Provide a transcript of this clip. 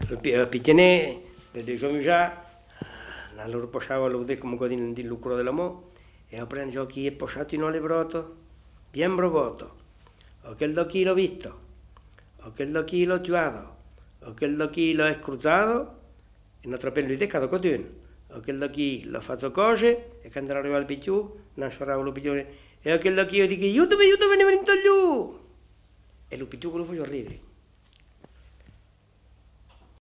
Picchiane, per dei giorni già, la loro posciava lo vedete comunque di lucro dell'amore, e ho preso chi è posciato in ole broto, bien provato, o che il chilo visto, o che il chilo tuato, o che il chilo è cruzato, e non troppo lui decado cotun, o che il chilo faccio cose, e quando arriva il picciù, non sciorava lo piccione, e o che il chilo dico, aiutami, aiutami, ne venite giù! E lo picciù lo faccio ridere.